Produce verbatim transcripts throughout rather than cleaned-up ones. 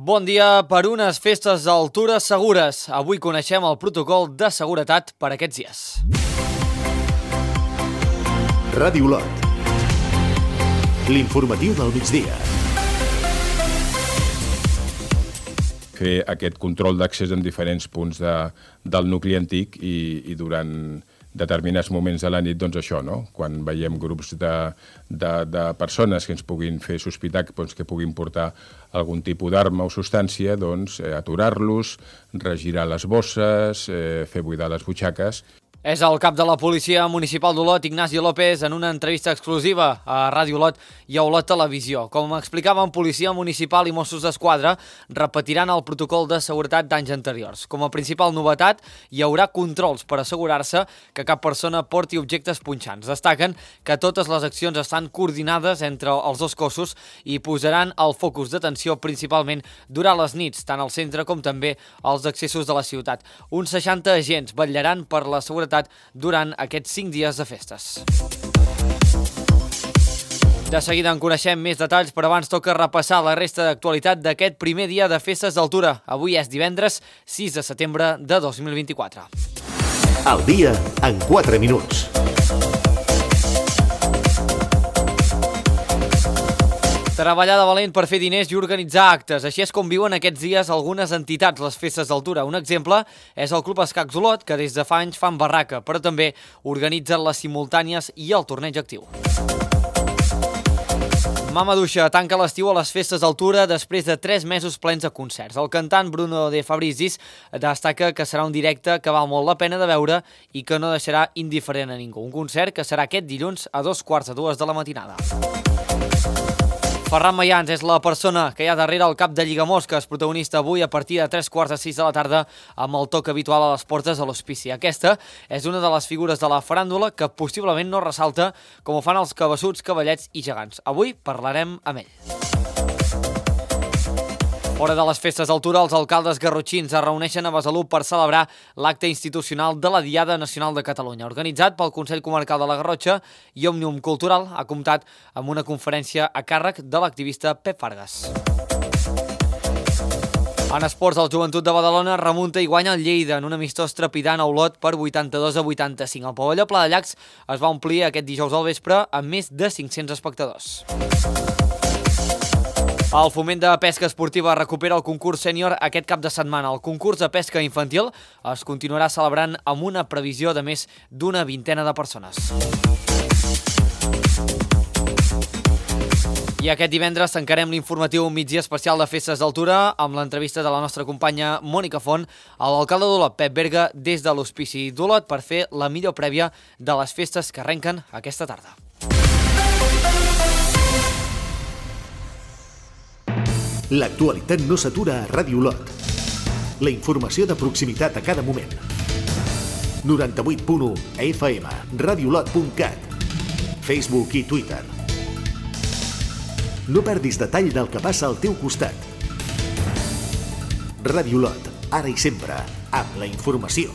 Bon dia per unes festes d'altura segures. Avui coneixem el protocol de seguretat per aquests dies. Ràdio Olot. L'informatiu del migdia. Fer aquest control d'accés en diferents punts de, del nucli antic i, i durant determinats moments de la nit, doncs això, no? Quan veiem grups de, de, de persones que ens puguin fer sospitar doncs, que puguin portar algun tipus d'arma o substància, doncs eh, aturar-los, regirar les bosses, eh, fer buidar les butxaques. És el cap de la Policia Municipal d'Olot, Ignacio López, en una entrevista exclusiva a Ràdio Olot i a Olot Televisió. Com explicaven, Policia Municipal i Mossos d'Esquadra repetiran el protocol de seguretat d'anys anteriors. Com a principal novetat, hi haurà controls per assegurar-se que cap persona porti objectes punxants. Destaquen que totes les accions estan coordinades entre els dos cossos i posaran el focus d'atenció principalment durant les nits, tant al centre com també als accessos de la ciutat. Uns seixanta agents vetllaran per la seguretat durant aquests cinc dies de festes. De seguida en coneixem més detalls, però abans toca repassar la resta d'actualitat d'aquest primer dia de festes d'altura. Avui és divendres sis de setembre de dos mil vint-i-quatre. El dia en quatre minuts. Treballar de valent per fer diners i organitzar actes. Així és com viuen aquests dies algunes entitats les festes d'altura. Un exemple és el Club Escacs Olot, que des de fa anys fan barraca, però també organitzen les simultànies i el torneig actiu. Mamaduixa tanca l'estiu a les festes d'altura després de tres mesos plens de concerts. El cantant Bruno De Fabrizis destaca que serà un directe que val molt la pena de veure i que no deixarà indiferent a ningú. Un concert que serà aquest dilluns a dos quarts de dues de la matinada. Ferran Mayans és la persona que hi ha darrere el cap de Lligamosques, protagonista avui a partir de tres quarts de sis de la tarda amb el toc habitual a les portes de l'hospici. Aquesta és una de les figures de la faràndula que possiblement no ressalta com ho fan els cabassuts, cavallets i gegants. Avui parlarem amb ell. Fora de les festes d'altura, els alcaldes garrotxins es reuneixen a Besalú per celebrar l'acte institucional de la Diada Nacional de Catalunya. Organitzat pel Consell Comarcal de la Garrotxa i Òmnium Cultural, ha comptat amb una conferència a càrrec de l'activista Pep Fargas. En esports, el Joventut de Badalona remunta i guanya el Lleida en un amistós trepidant a Olot per vuitanta-dos a vuitanta-cinc. El pavelló Pla de Llacs es va omplir aquest dijous al vespre amb més de cinc-cents espectadors. El Foment de Pesca Esportiva recupera el concurs sènior aquest cap de setmana. El concurs de pesca infantil es continuarà celebrant amb una previsió de més d'una vintena de persones. I aquest divendres tancarem l'informatiu migdia especial de festes d'altura amb l'entrevista de la nostra companya Mònica Font a l'alcalde d'Olot, Pep Berga, des de l'Hospici d'Olot per fer la millor prèvia de les festes que arrenquen aquesta tarda. L'actualitat no s'atura a Ràdio Olot. La informació de proximitat a cada moment. noranta-vuit punt u F M, radiolot punt cat, Facebook i Twitter. No perdis detall del que passa al teu costat. Ràdio Olot, ara i sempre, amb la informació.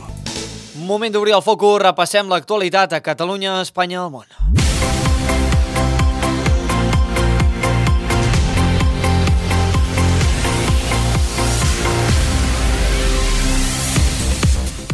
Moment d'obrir el focus, repassem l'actualitat a Catalunya, Espanya i el món.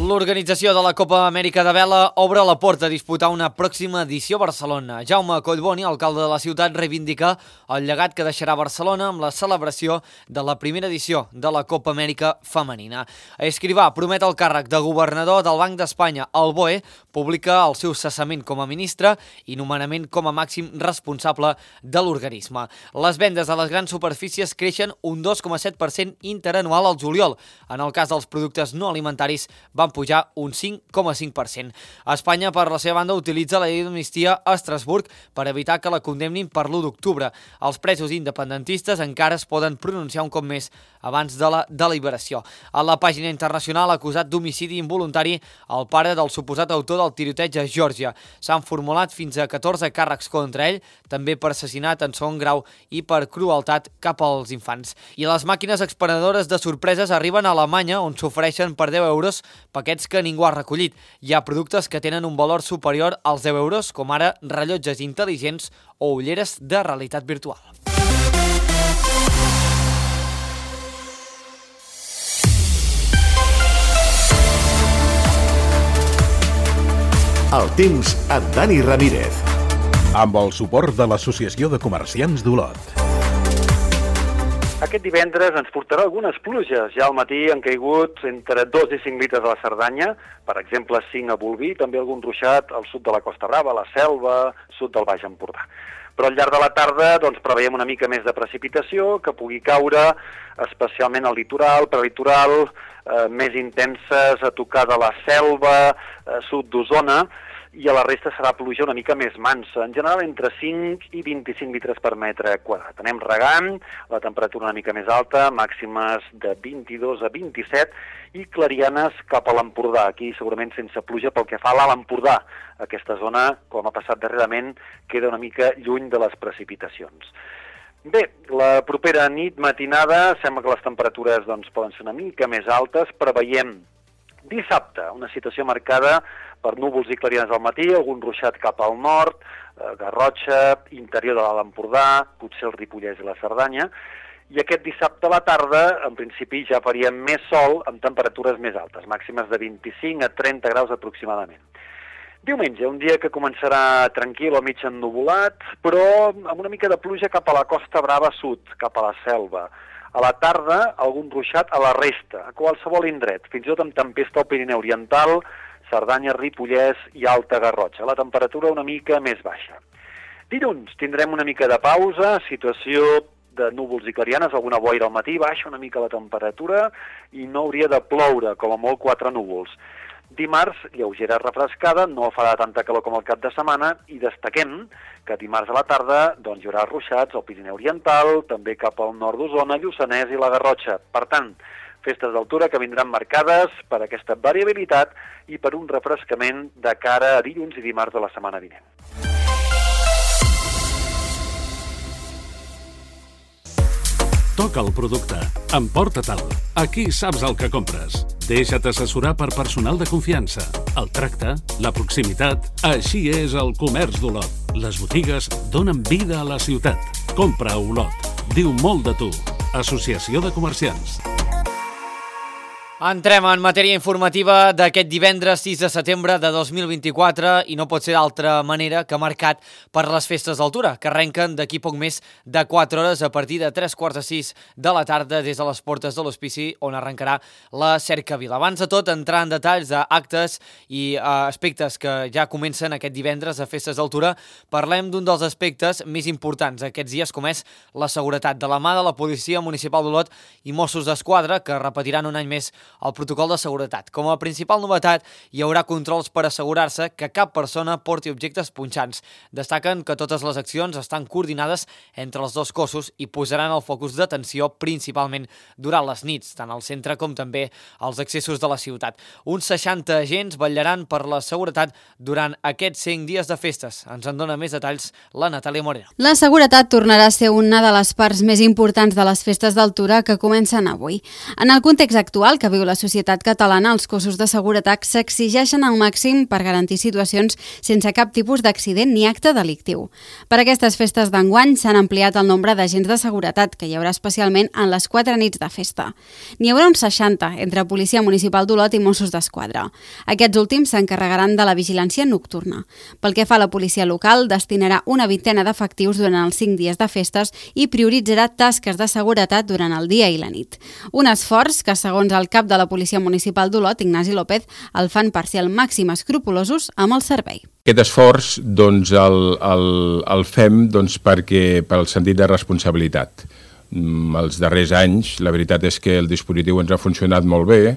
L'organització de la Copa Amèrica de Vela obre la porta a disputar una pròxima edició a Barcelona. Jaume Collboni, alcalde de la ciutat, reivindica el llegat que deixarà Barcelona amb la celebració de la primera edició de la Copa Amèrica femenina. Escrivà promet el càrrec de governador del Banc d'Espanya. El B O E publica el seu cessament com a ministre i nomenament com a màxim responsable de l'organisme. Les vendes a les grans superfícies creixen un dos coma set per cent interanual al juliol. En el cas dels productes no alimentaris van pujar un cinc coma cinc per cent. Espanya, per la seva banda, utilitza la llei d'amnistia a Estrasburg per evitar que la condemnin per l'u d'octubre. Els presos independentistes encara es poden pronunciar un cop més abans de la deliberació. A la pàgina internacional, acusat d'homicidi involuntari el pare del suposat autor del tiroteig a Geòrgia. S'han formulat fins a catorze càrrecs contra ell, també per assassinat en segon grau i per crueltat cap als infants. I les màquines expenedores de sorpreses arriben a Alemanya, on s'ofereixen per deu euros paquets que ningú ha recollit. Hi ha productes que tenen un valor superior als deu euros, com ara rellotges intel·ligents o ulleres de realitat virtual. El temps amb Dani Ramírez. Amb el suport de l'Associació de Comerciants d'Olot. Aquest divendres ens portarà algunes pluges. Ja al matí han caigut entre dos i cinc litres a la Cerdanya, per exemple cinc a Bolvir, també algun ruixat al sud de la Costa Brava, a la Selva, sud del Baix Empordà. Però al llarg de la tarda doncs, preveiem una mica més de precipitació que pugui caure, especialment al litoral, prelitoral, eh, més intenses a tocar de la Selva, eh, sud d'Osona, i a la resta serà pluja una mica més mansa, en general entre cinc i vint-i-cinc litres per metre quadrat. Anem regant, la temperatura una mica més alta, màximes de vint-i-dos a vint-i-set, i clarianes cap a l'Empordà, aquí segurament sense pluja pel que fa a l'Alt Empordà. Aquesta zona, com ha passat darrerament, queda una mica lluny de les precipitacions. Bé, la propera nit matinada sembla que les temperatures doncs, poden ser una mica més altes, preveiem dissabte, una situació marcada per núvols i clarianes al matí, algun ruixat cap al nord, eh, Garrotxa, interior de l'Alt Empordà, potser el Ripollès i la Cerdanya, i aquest dissabte a la tarda, en principi, ja faríem més sol amb temperatures més altes, màximes de vint-i-cinc a trenta graus aproximadament. Diumenge, un dia que començarà tranquil o mig ennuvolat, però amb una mica de pluja cap a la Costa Brava sud, cap a la Selva. A la tarda, algun ruixat a la resta, a qualsevol indret, fins i tot amb tempesta al Pirineu Oriental, Cerdanya, Ripollès i Alta Garrotxa. La temperatura una mica més baixa. Dilluns tindrem una mica de pausa, situació de núvols i clarianes, alguna boira al matí, baixa una mica la temperatura i no hauria de ploure, com a molt quatre núvols. Dimarts, lleugera refrescada, no farà tanta calor com el cap de setmana i destaquem que dimarts a la tarda doncs, hi haurà ruixats al Pirineu Oriental, també cap al nord d'Osona, Lluçanès i la Garrotxa. Per tant, festes d'altura que vindran marcades per aquesta variabilitat i per un refrescament de cara a dilluns i dimarts de la setmana vinent. Toca el producte. Emporta-te'l. Aquí saps el que compres. Deixa't assessorar per personal de confiança. El tracte, la proximitat, així és el comerç d'Olot. Les botigues donen vida a la ciutat. Compra a Olot. Diu molt de tu. Associació de Comerciants. Entrem en matèria informativa d'aquest divendres sis de setembre de dos mil vint-i-quatre i no pot ser d'altra manera que marcat per les festes d'altura, que arrenquen d'aquí poc més de quatre hores a partir de tres quarts de sis de la tarda des de les portes de l'hospici on arrencarà la Cercavila. Abans de tot, entrar en detalls d'actes i uh, aspectes que ja comencen aquest divendres a festes d'altura, parlem d'un dels aspectes més importants aquests dies, com és la seguretat, de la mà de la Policia Municipal d'Olot i Mossos d'Esquadra, que repetiran un any més el protocol de seguretat. Com a principal novetat, hi haurà controls per assegurar-se que cap persona porti objectes punxants. Destaquen que totes les accions estan coordinades entre els dos cossos i posaran el focus d'atenció principalment durant les nits, tant al centre com també als accessos de la ciutat. Uns seixanta agents vetllaran per la seguretat durant aquests cinc dies de festes. Ens en dona més detalls la Natàlia Moreno. La seguretat tornarà a ser una de les parts més importants de les festes d'altura que comencen avui. En el context actual que viu la societat catalana, els cossos de seguretat s'exigeixen al màxim per garantir situacions sense cap tipus d'accident ni acte delictiu. Per aquestes festes d'enguany s'han ampliat el nombre d'agents de seguretat que hi haurà especialment en les quatre nits de festa. N'hi haurà uns seixanta entre Policia Municipal d'Olot i Mossos d'Esquadra. Aquests últims s'encarregaran de la vigilància nocturna. Pel que fa a la policia local, destinarà una vintena d'efectius durant els cinc dies de festes i prioritzarà tasques de seguretat durant el dia i la nit. Un esforç que, segons el cap de la Policia Municipal d'Olot, Ignasi López, el fan per ser al màxim escrupulosos amb el servei. Aquest esforç doncs, el, el, el fem doncs, perquè pel sentit de responsabilitat. Els darrers anys, la veritat és que el dispositiu ens ha funcionat molt bé,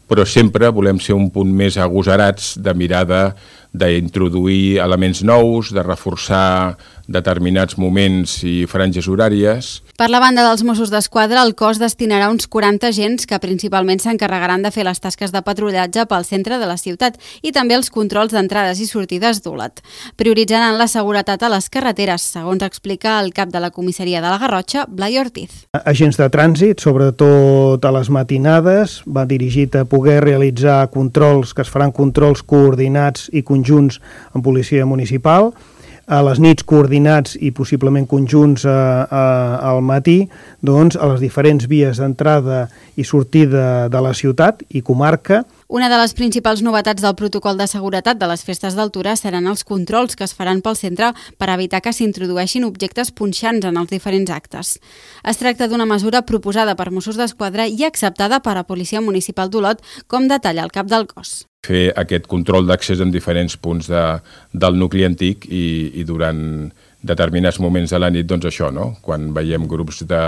però sempre volem ser un punt més agosarats de mirada d'introduir elements nous, de reforçar determinats moments i franges horàries. Per la banda dels Mossos d'Esquadra, el cos destinarà uns quaranta agents que principalment s'encarregaran de fer les tasques de patrullatge pel centre de la ciutat i també els controls d'entrades i sortides d'Olot. Prioritzaran la seguretat a les carreteres, segons explica el cap de la comissaria de la Garrotxa, Blai Ortiz. Agents de trànsit, sobretot a les matinades, va dirigit a poder realitzar controls, que es faran controls coordinats i conjunts amb policia municipal, a les nits coordinats i possiblement conjunts a, a, al matí, doncs, a les diferents vies d'entrada i sortida de la ciutat i comarca, Una de les principals novetats del protocol de seguretat de les festes d'altura seran els controls que es faran pel centre per evitar que s'introdueixin objectes punxants en els diferents actes. Es tracta d'una mesura proposada per Mossos d'Esquadra i acceptada per la Policia Municipal d'Olot, com detalla el cap del cos. Fer aquest control d'accés en diferents punts de, del nucli antic i, i durant determinats moments de la nit, doncs això, no? Quan veiem grups de,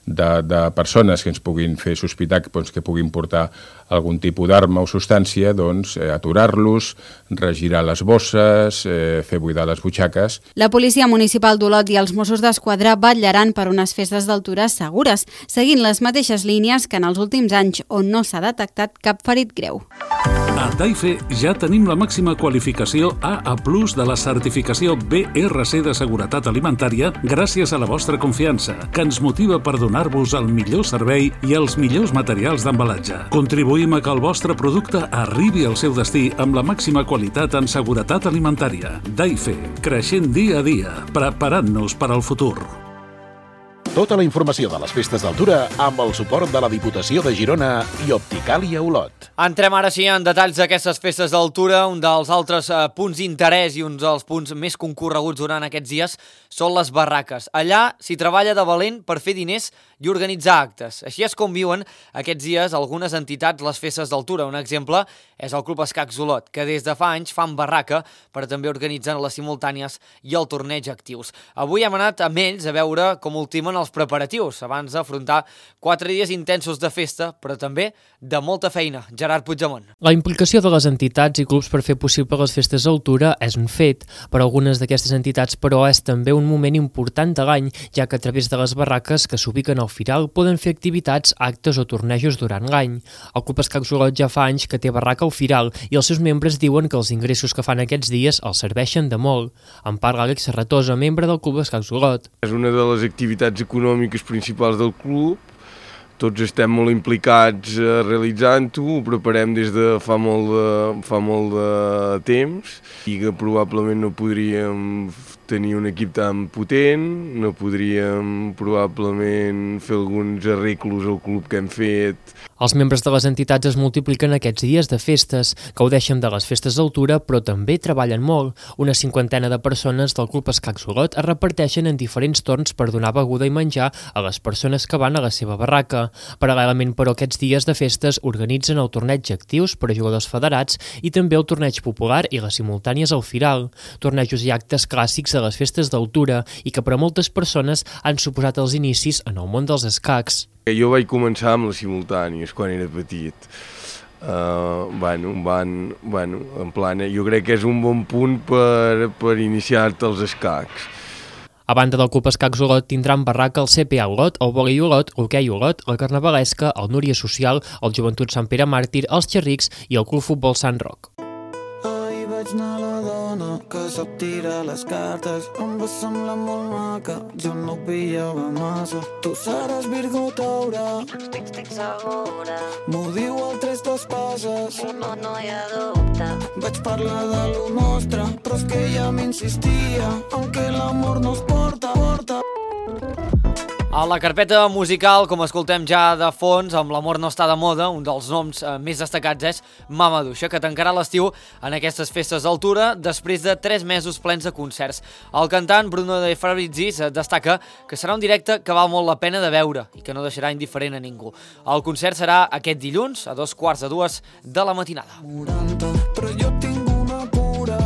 de, de persones que ens puguin fer sospitar doncs, que puguin portar algun tipus d'arma o substància, doncs eh, aturar-los, regirar les bosses, eh, fer buidar les butxaques. La Policia Municipal d'Olot i els Mossos d'Esquadra vetllaran per unes festes d'altura segures, seguint les mateixes línies que en els últims anys on no s'ha detectat cap ferit greu. A Daife ja tenim la màxima qualificació A A plus de la certificació B R C de seguretat alimentària gràcies a la vostra confiança, que ens motiva per donar-vos el millor servei i els millors materials d'embalatge. Contribuïm a que el vostre producte arribi al seu destí amb la màxima qualitat en seguretat alimentària. Daife, creixent dia a dia, preparant-nos per al futur. Tota la informació de les festes d'altura amb el suport de la Diputació de Girona i Opticàlia Olot. Entrem ara sí en detalls d'aquestes festes d'altura. Un dels altres eh, punts d'interès i un dels punts més concorreguts durant aquests dies són les barraques. Allà s'hi treballa de valent per fer diners i organitzar actes. Així és com viuen aquests dies algunes entitats les festes d'altura. Un exemple és el Club Escacs Olot, que des de fa anys fan barraca, però també organitzen les simultànies i el torneig actius. Avui hem anat amb ells a veure com ultimen els preparatius abans d'afrontar quatre dies intensos de festa, però també de molta feina. Gerard Puigdemont. La implicació de les entitats i clubs per fer possible les festes d'altura és un fet. Per a algunes d'aquestes entitats, però, és també un moment important de l'any, ja que a través de les barraques que s'ubiquen al Firal poden fer activitats, actes o tornejos durant l'any. El Club Escacs Olot ja fa anys que té barraca al Firal i els seus membres diuen que els ingressos que fan aquests dies els serveixen de molt. En parla Àlex Serratosa, membre del Club Escacs Olot. És una de les activitats econòmiques principals del club. Tots estem molt implicats eh, realitzant-ho, ho preparem des de fa molt de, fa molt de temps i que probablement no podríem tenir un equip tan potent, no podríem probablement fer alguns arreglos al club que hem fet. Els membres de les entitats es multipliquen aquests dies de festes, gaudeixen de les festes d'altura, però també treballen molt. Una cinquantena de persones del Club Escacs Olot es reparteixen en diferents torns per donar beguda i menjar a les persones que van a la seva barraca. Paral·lelament, però, aquests dies de festes organitzen el torneig actius per a jugadors federats i també el torneig popular i les simultànies al Firal, tornejos i actes clàssics de les festes d'altura i que per a moltes persones han suposat els inicis en el món dels escacs. Jo vaig començar amb les simultànies quan era petit. Uh, bueno, van, bueno, en plan, jo crec que és un bon punt per, per iniciar-te els escacs. A banda del Club Escacs Olot tindran barraca el C P A Olot, el Vòlei Olot, l'Hoquei Olot, la Carnavalesca, el Núria Social, el Joventut Sant Pere Màrtir, els Xerrics i el Club Futbol Sant Roc. Ahir vaig anar a la dona que sap tirar les cartes, em va semblar molt maca, jo no ho pillava massa. Tu seràs Virgo Taure, estic segura, m'ho diu el tres d'espases, no, no hi ha dubte. Vaig parlar de lo nostre, però és que ella m'insistia en que l'amor no es porta, porta. A la carpeta musical, com escoltem ja de fons, amb l'amor no està de moda, un dels noms eh, més destacats és Mamaduixa, que tancarà l'estiu en aquestes festes d'altura després de tres mesos plens de concerts. El cantant Bruno De Fabrizis destaca que serà un directe que val molt la pena de veure i que no deixarà indiferent a ningú. El concert serà aquest dilluns a dos quarts de dues de la matinada. noranta, però jo tinc una cura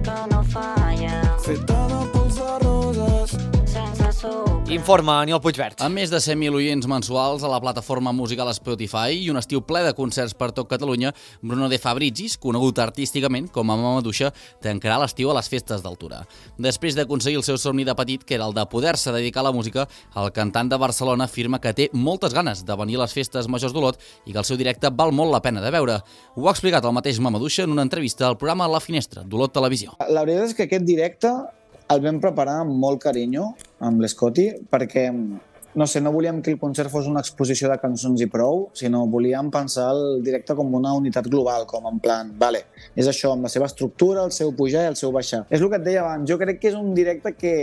que no falla, feta de pols de roses, sense sucre. Informa Aniol Puigvert. Amb més de cent mil oients mensuals a la plataforma musical Spotify i un estiu ple de concerts per tot Catalunya, Bruno De Fabrizis, conegut artísticament com a Mamaduixa, tancarà l'estiu a les festes d'altura. Després d'aconseguir el seu somni de petit, que era el de poder-se dedicar a la música, el cantant de Barcelona afirma que té moltes ganes de venir a les festes majors d'Olot i que el seu directe val molt la pena de veure. Ho ha explicat el mateix Mamaduixa en una entrevista al programa La Finestra, d'Olot Televisió. La veritat és que aquest directe el vam preparar amb molt carinyo amb l'Scotty perquè, no sé, no volíem que el concert fos una exposició de cançons i prou, sinó volíem pensar el directe com una unitat global, com en plan, vale, és això, amb la seva estructura, el seu pujar i el seu baixar. És el que et deia abans, jo crec que és un directe que,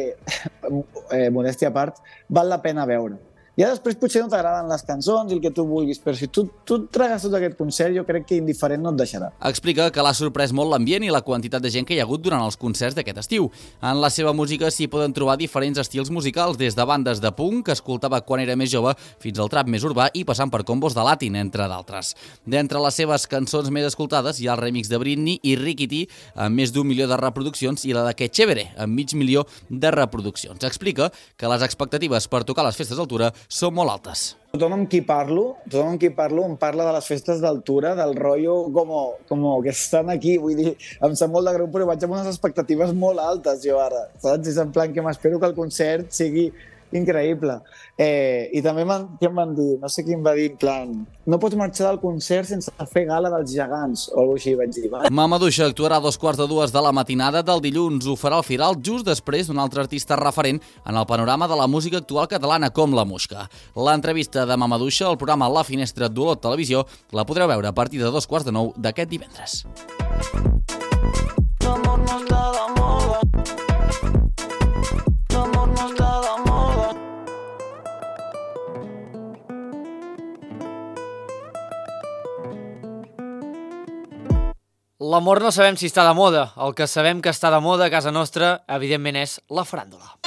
eh, modèstia a part, val la pena veure. Ja després potser no t'agraden les cançons i el que tu vulguis, però si tu, tu et tragues tot aquest concert, jo crec que indiferent no et deixarà. Explica que l'ha sorprès molt l'ambient i la quantitat de gent que hi ha hagut durant els concerts d'aquest estiu. En la seva música s'hi poden trobar diferents estils musicals, des de bandes de punk, que escoltava quan era més jove, fins al trap més urbà i passant per combos de latin, entre d'altres. D'entre les seves cançons més escoltades hi ha el remix de Britney i Ricky T, amb més d'un milió de reproduccions, i la de Que Chévere, amb mig milió de reproduccions. Explica que les expectatives per tocar les festes d'altura són molt altes. Tothom amb qui parlo, tothom amb qui parlo em parla de les festes d'altura, del rotllo com, com que estan aquí, vull dir, em sap molt de greu, però vaig amb unes expectatives molt altes jo ara, saps? És en plan que m'espero que el concert sigui increïble. Eh, I també em van dir, no sé qui em va dir, en plan, no pots marxar del concert sense fer gala dels gegants, o alguna cosa així vaig dir. Va? Mamadouxa actuarà a dos quarts de dues de la matinada del dilluns. Ho farà al Firal just després d'un altre artista referent en el panorama de la música actual catalana, com la Muixca. L'entrevista de Mamadouxa al programa La Finestra d'Olot Televisió la podreu veure a partir de dos quarts de nou d'aquest divendres. L'amor no sabem si està de moda. El que sabem que està de moda a casa nostra, evidentment, és la faràndula.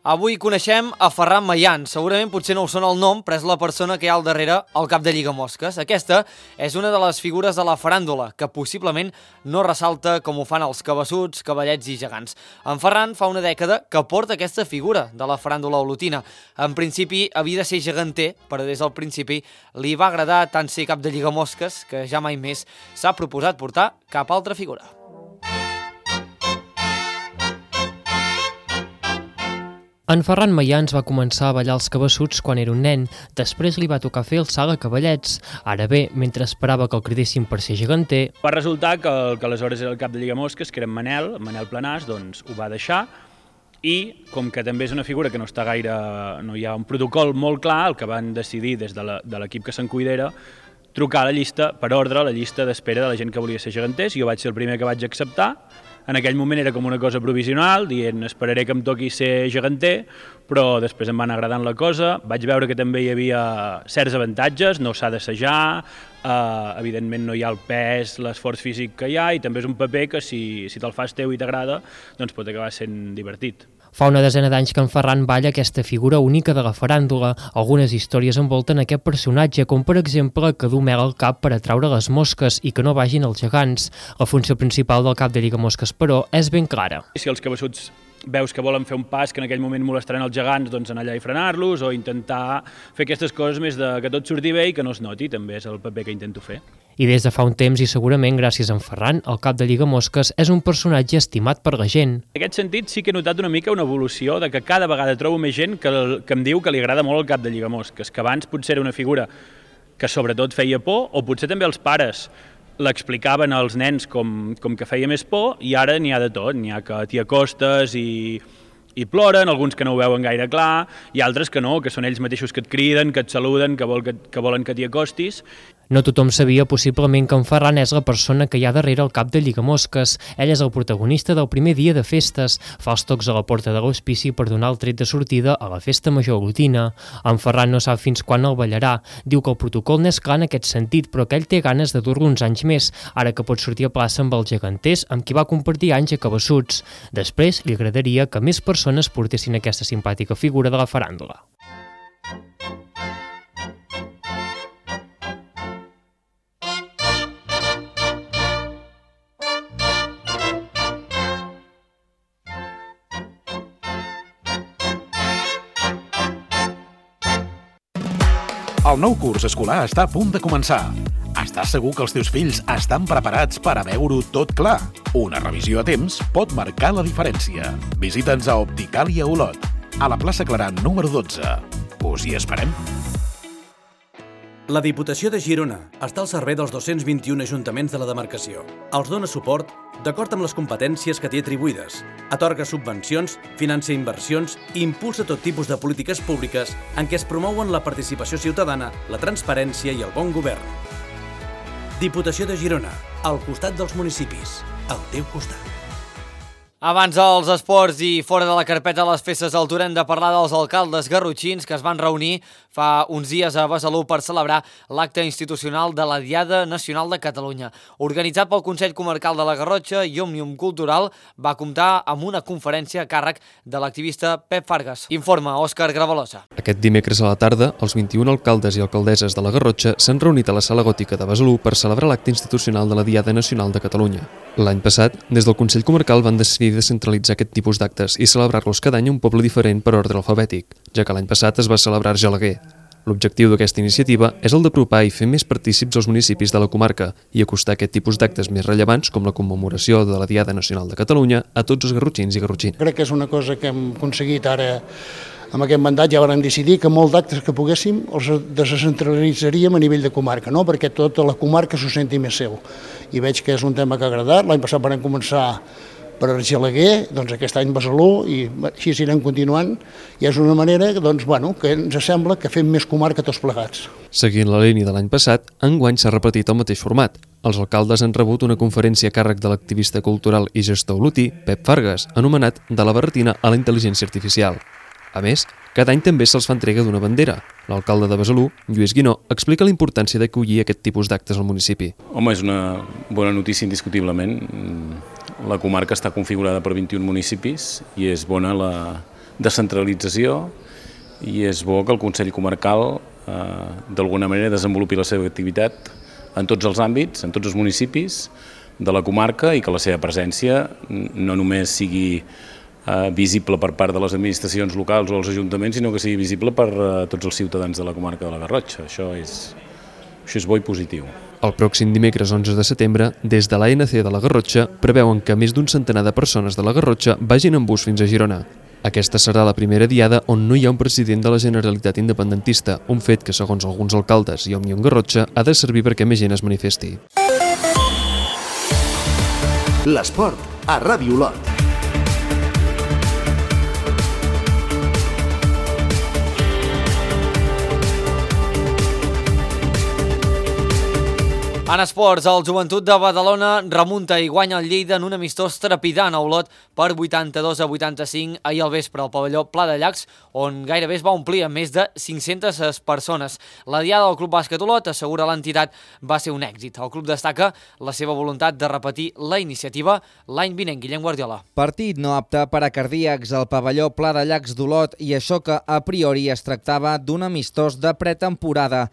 Avui coneixem a Ferran Mayans. Segurament potser no us sona el nom, però és la persona que hi ha al darrere al cap de Lligamosques. Aquesta és una de les figures de la faràndula, que possiblement no ressalta com ho fan els cabassuts, cavallets i gegants. En Ferran fa una dècada que porta aquesta figura de la faràndula olotina. En principi havia de ser geganter, però des del principi li va agradar tant ser cap de Lligamosques que ja mai més s'ha proposat portar cap altra figura. En Ferran Mayans va començar a ballar els cabassuts quan era un nen, després li va tocar fer el salt a cavallets. Ara bé, mentre esperava que el cridessin per ser geganter... Va resultar que, el, que aleshores era el cap de Lligamosques, que era en Manel, Manel Planàs, doncs ho va deixar, i com que també és una figura que no està gaire... no hi ha un protocol molt clar, el que van decidir des de l'equip que se'n cuidera, trucar a la llista, per ordre, a la llista d'espera de la gent que volia ser geganters. Jo vaig ser el primer que vaig acceptar. En aquell moment era com una cosa provisional, dient esperaré que em toqui ser geganter, però després em va anar agradant la cosa. Vaig veure que també hi havia certs avantatges, no s'ha d'assajar, eh, evidentment no hi ha el pes, l'esforç físic que hi ha, i també és un paper que si, si te'l fas teu i t'agrada, doncs pot acabar sent divertit. Fa una desena d'anys que en Ferran balla aquesta figura única de la faràndula. Algunes històries envolten aquest personatge, com per exemple que du mel al cap per atraure les mosques i que no vagin els gegants. La funció principal del cap de Lligamosques, però, és ben clara. Si els cabassuts veus que volen fer un pas que en aquell moment molestaran els gegants, doncs anar allà i frenar-los, o intentar fer aquestes coses més de que tot surti bé i que no es noti, també és el paper que intento fer. I des de fa un temps, i segurament gràcies a en Ferran, el cap de Lligamosques és un personatge estimat per la gent. En aquest sentit sí que he notat una mica una evolució de que cada vegada trobo més gent que, que em diu que li agrada molt el cap de Lligamosques, que abans potser era una figura que sobretot feia por, o potser també els pares l'explicaven als nens com, com que feia més por, i ara n'hi ha de tot, n'hi ha que t'hi acostes i, i ploren, alguns que no ho veuen gaire clar, i altres que no, que són ells mateixos que et criden, que et saluden, que, vol que, que volen que t'hi acostis. No tothom sabia possiblement que en Ferran és la persona que hi ha darrere el cap de Lligamosques. Ell és el protagonista del primer dia de festes, fa els tocs a la porta de l'hospici per donar el tret de sortida a la festa major olotina. En Ferran no sap fins quan el ballarà. Diu que el protocol n'és clar en aquest sentit, però que ell té ganes de dur-lo uns anys més, ara que pot sortir a plaça amb els geganters amb qui va compartir anys a cabassuts. Després li agradaria que més persones portessin aquesta simpàtica figura de la faràndula. El nou curs escolar està a punt de començar. Estàs segur que els teus fills estan preparats per a veure-ho tot clar? Una revisió a temps pot marcar la diferència. Visita'ns a Opticàlia Olot. a la plaça Clarà número dotze. Us hi esperem. La Diputació de Girona està al servei dels dos-cents vint-i-un ajuntaments de la demarcació. Els dona suport d'acord amb les competències que té atribuïdes, atorga subvencions, financia inversions i impulsa tot tipus de polítiques públiques en què es promouen la participació ciutadana, la transparència i el bon govern. Diputació de Girona, al costat dels municipis, al teu costat. Abans dels esports i fora de la carpeta de les festes d'Altura hem de parlar dels alcaldes garrotxins que es van reunir fa uns dies a Besalú per celebrar l'acte institucional de la Diada Nacional de Catalunya. Organitzat pel Consell Comarcal de la Garrotxa i Òmnium Cultural, va comptar amb una conferència a càrrec de l'activista Pep Fargas. Informa Òscar Gravalosa. Aquest dimecres a la tarda, els vint-i-un alcaldes i alcaldesses de la Garrotxa s'han reunit a la Sala Gòtica de Besalú per celebrar l'acte institucional de la Diada Nacional de Catalunya. L'any passat, des del Consell Comarcal van decidir descentralitzar aquest tipus d'actes i celebrar-los cada any a un poble diferent per ordre alfabètic, ja que l'any passat es va celebrar a Argelaguer. L'objectiu d'aquesta iniciativa és el d'apropar i fer més partícips els municipis de la comarca i acostar aquest tipus d'actes més rellevants, com la commemoració de la Diada Nacional de Catalunya, a tots els garrotxins i garrotxines. Crec que és una cosa que hem aconseguit ara. Amb aquest mandat ja vam decidir que molts d'actes que poguéssim els descentralitzaríem a nivell de comarca, no? Perquè tota la comarca s'ho senti més seu. I veig que és un tema que ha agradat. L'any passat vam començar per Argelaguer, doncs aquest any Besalú, i així anirem continuant. I és una manera doncs, bueno, que ens sembla que fem més comarca tots plegats. Seguint la línia de l'any passat, enguany s'ha repetit el mateix format. Els alcaldes han rebut una conferència a càrrec de l'activista cultural i gestor olotí, Pep Fargas, anomenat De la barretina a la intel·ligència artificial. A més, cada any també se'ls fa entrega d'una bandera. L'alcalde de Besalú, Lluís Guinó, explica la importància d'acollir aquest tipus d'actes al municipi. Home, és una bona notícia indiscutiblement. La comarca està configurada per vint-i-un municipis i és bona la descentralització i és bo que el Consell Comarcal eh, d'alguna manera desenvolupi la seva activitat en tots els àmbits, en tots els municipis de la comarca i que la seva presència no només sigui Uh, visible per part de les administracions locals o els ajuntaments, sinó que sigui visible per uh, tots els ciutadans de la comarca de la Garrotxa. Això és, això és bo i positiu. El pròxim dimecres onze de setembre, des de l'A N C de la Garrotxa, preveuen que més d'un centenar de persones de la Garrotxa vagin en bus fins a Girona. Aquesta serà la primera diada on no hi ha un president de la Generalitat independentista, un fet que, segons alguns alcaldes i Òmnium Garrotxa, ha de servir perquè més gent es manifesti. L'esport a Ràdio Olot. En esports, el Joventut de Badalona remunta i guanya el Lleida en un amistós trepidant a Olot per vuitanta-dos a vuitanta-cinc ahir al vespre al pavelló Pla de Llacs, on gairebé es va omplir amb més de cinc-centes persones. La diada del Club Bàsquet Olot, assegura l'entitat, va ser un èxit. El club destaca la seva voluntat de repetir la iniciativa l'any vinent. Guillem Guardiola. Partit no apte per a cardíacs al pavelló Pla de Llacs d'Olot i això que a priori es tractava d'un amistós de pretemporada.